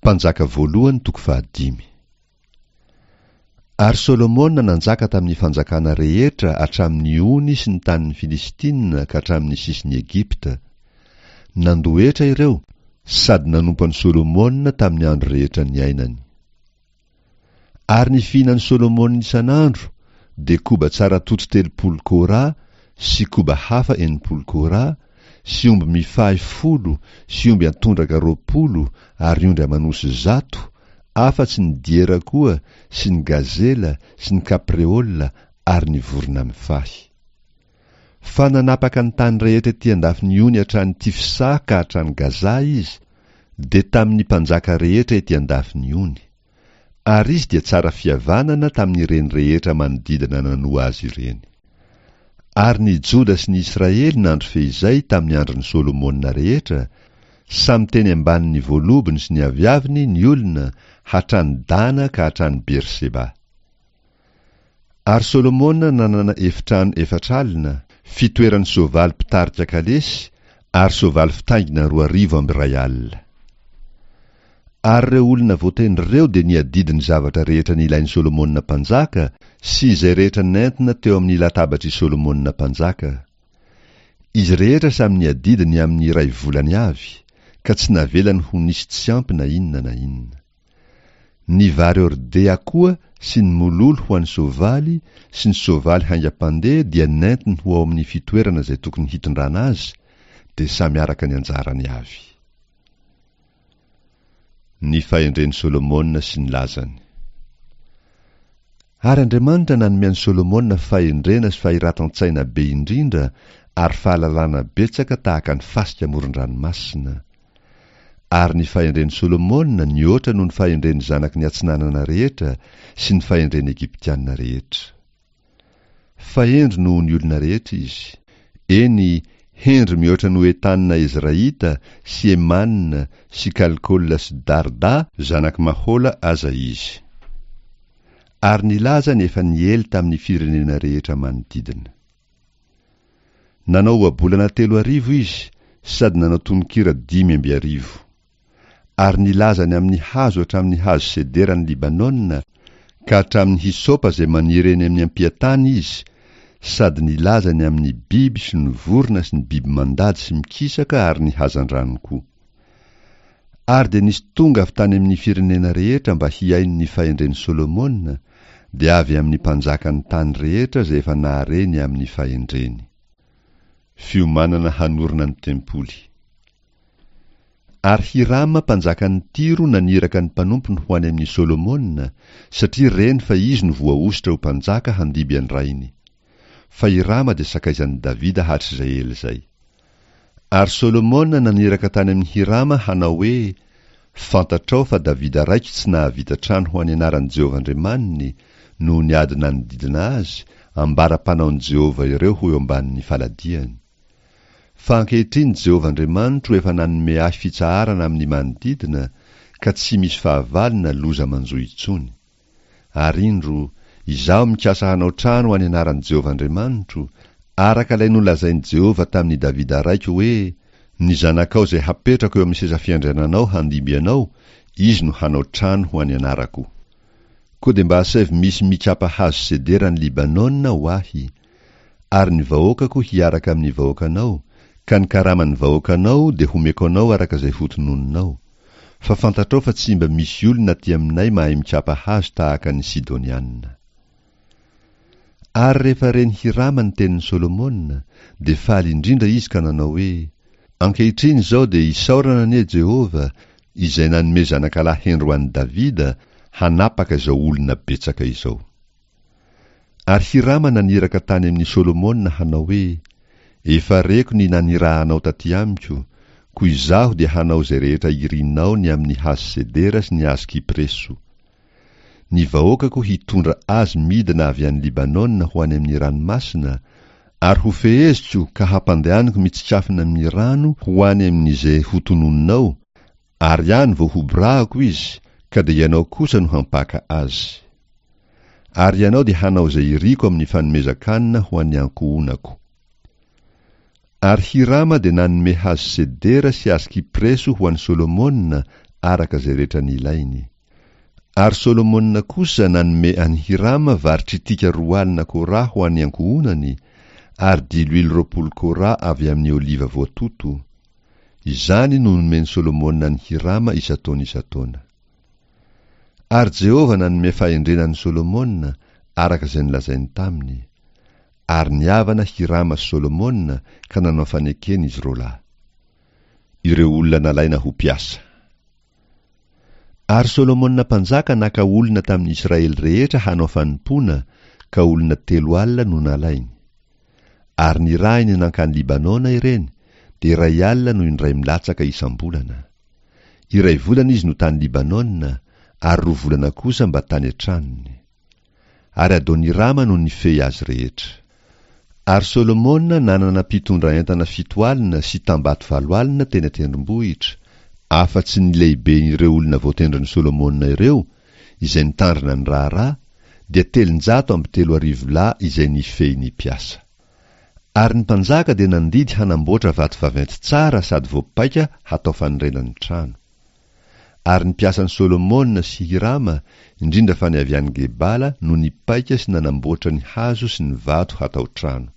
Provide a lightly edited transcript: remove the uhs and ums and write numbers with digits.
Mpanjaka voalohany toko fahadimy. Ary Solomona nanjaka tamin'ny fanjakana rehetra hatramin'ny ony sy ny tanin'ny Filistina ka hatramin'ny sisin'i Egypta. Nandoa hetra ireo sady nanompo an'i Solomona tamin'ny andro rehetra niainany. Ary ny fihinan'i Solomona isan'andro dia koba tsara toto 30 kora sy koba hafa 60 kora, sy omby mifahy folo sy omby antondraka 20 ary ondry aman'osy 100, afa-tsy ny diera koa sy ny gazela sy ny kapreola ary ny vorona mifahy. Fa nanapaka ny tany rehetra ety an-dafin'ny ony hatrany Tifsa ka hatrany Gaza izy, dia tamin'ny mpanjaka rehetra ety an-dafin'ny ony. Ary izy dia tsara fihavanana tamin'ireny rehetra manodidina nanoa azy ireny. Ary ny Joda sy ny Israely nandry feizay tamin'ny andron'i Solomona rehetra, samy teny ambanin'ny voalobony sy ny aviaviny ny olona, hatrany Dana ka hatrany Berseba. Ary Solomona nanana efitrano 40, fitoeran'ny soavaly mpitarika kalesy ary soavaly fitaingina 22. Ary ireo olona voatendry ireo dia niadidy ny zavatra rehetra nilain'i Solomona mpanjaka sy izay rehetra nentina teo amin'ny latabatr'i Solomona mpanjaka. Izy rehetra samy niadidy ny amin'ny iray volany avy, ka tsy navelany ho nisy tsy ampy na inona na inona. Ny vary hordea koa sy ny mololo ho an'ny soavaly sy ny soavaly haingam-pandeha dia nentiny ho ao amin'ny fitoerana izay tokony hitondrana azy, dia samy araka ny anjarany avy. Ny fahendren'i Solomona sy ny lazany. Ary Andriamanitra nanome an'i Solomona fahendrena sy fahiratan-tsaina be indrindra ary fahalalana betsaka tahaka ny fasika amoron-dranomasina. Ary ny fahendren'i Solomona nihoatra noho ny fahendren'ny zanaky ny atsinanana rehetra sy ny fahendren'ny Egyptiana rehetra. Fa hendry noho ny olona rehetra izy. Eny, hendry mihoatra noho Etana Ezraita sy Emana sy Kalkola sy Darda zanak'i Mahola aza izy. Ary nilaza ny efa niely tamin'ny firenena rehetra manodidina. Nanao ohabolana 3000 izy sady nanao tononkira 2005. Ary nilaza ny amin'ny hazo hatramin'ny hazo sedera any Libanona ka hatramin'ny hysopa izay maniry eny amin'ny ampiantany izy, sady nilaza ny amin'ny biby sy ny vorona sy ny biby mandady sy mikisaka ary ny hazandrano koa. Ary dia nisy tonga avy tany amin'ny firenena rehetra mba hihaino ny fahendren'i Solomona, dia avy amin'ny mpanjakan'ny tany rehetra izay efa nahare ny amin'ny fahendreny. Fiomanana hanorina ny tempoly. Ary Hirama mpanjakan'i Tyro naniraka ny mpanompony ho any amin'i Solomona, satria reny fa izy no voahosotra ho mpanjaka handimby an-drainy. Fa Hirama dia sakaizan'i Davida hatrizay ela izay. Ary Solomona naniraka tany amin'i Hirama hanao hoe, Fantatrao fa Davida raiko tsy nahavita trano ho an'ny anaran'i Jehovah Andriamaniny, noho ny ady nanodidina azy, ambara-panaon'i Jehovah ireo ho eo ambanin'ny faladiany. Fa ankehitriny Jehovah Andriamanitro efa nanome ahy fitsaharana amin'ny manodidina, ka tsy misy fahavalo na loza manjo intsony. Ary indro, izaho mikasa hanao trano ho an'ny anaran'i Jehovah Andriamanitro, araka ilay nolazain'i Jehovah tamin'i Davida raiko hoe, Ny zanakao izay hapetrako eo amin'ny seza fiandriananao handimby anao, izy no hanao trano ho an'ny anarako. Koa dia mba asaivo misy mikapa hazo sedera any Libanona ho ahy, ary ny vahoakako hiaraka amin'ny vahoakanao, ka ny karaman'ny vahoakanao dia homeko anao araka izay hotononinao. Fa fantatrao fa tsy mba misy olona aty aminay mahay mikapa hazo tahaka ny Sidoniana. Ary rehefa ren'i Hirama ny tenin'i Solomona, dia faly indrindra izy ka nanao hoe, Ankehitriny izao dia isaorana anie Jehovah, izay nanome zanakalahy hendry ho an'i Davida hanapaka izao olona betsaka izao. Ary Hirama naniraka tany amin'i Solomona hanao hoe, Efa reko ny nanirahanao taty amiko, koa izaho dia hanao izay rehetra irinao ny amin'ny hazo sedera sy ny hazo kypreso. Ny vahoakako hitondra azy midina avy any Libanona ho any amin'ny ranomasina, ary hofeheziko ka hampandehaniko mitsikafona amin'ny rano ho any amin'izay hotononinao, ary any vao hoborahako izy, ka dia ianao kosa no hampaka azy. Ary ianao dia hanao izay iriko amin'ny fanomezan-kanina ho an'ny ankohonako. Ary Hirama dia nanome hazo sedera sy hazo kypreso ho an'i Solomona araka izay rehetra nilainy. Ary Solomona kosa nanome an'i Hirama vary tritika 20 kora ho an'ny ankohonany, ary diloilo 20 kora avy amin'ny oliva voatoto. Izany no nomen'i Solomona an'i Hirama isan-taona isan-taona. Ary Jehovah nanome fahendrena an'i Solomona, araka izay nolazainy taminy. Ary nihavana Hirama sy Solomona ka nanao fanekena izy roalahy. Ireo olona nalaina ho mpiasa. Ary Solomona mpanjaka naka olona tamin'ny Israely rehetra hanao fanompoana, ka olona 40 no nalainy. Ary nirahiny nankany Libanona ireny, dia 1000 no indray milatsaka isam-bolana. Iray volana izy no tany Libanona, ary 2 volana kosa mba tany an-tranony. Ary Adonirama no nifehy azy rehetra. Ary Solomona nanana mpitondra entana 70 sy tambato 80 teny an-tendrombohitra, afa-tsy ny lehiben'ireo olona voatendrin'i Solomona ireo, izay nitandrina ny raharaha, dia 330 lahy izay nifehy ny mpiasa. Ary ny mpanjaka dia nandidy hanamboatra vato vaventy tsara sady voapaika hatao fanorenan'ny trano. Ary ny mpiasan'i Solomona sy Hirama, indrindra fa ny avy any Gebala, no nipaika sy nanamboatra ny hazo sy ny vato hatao trano.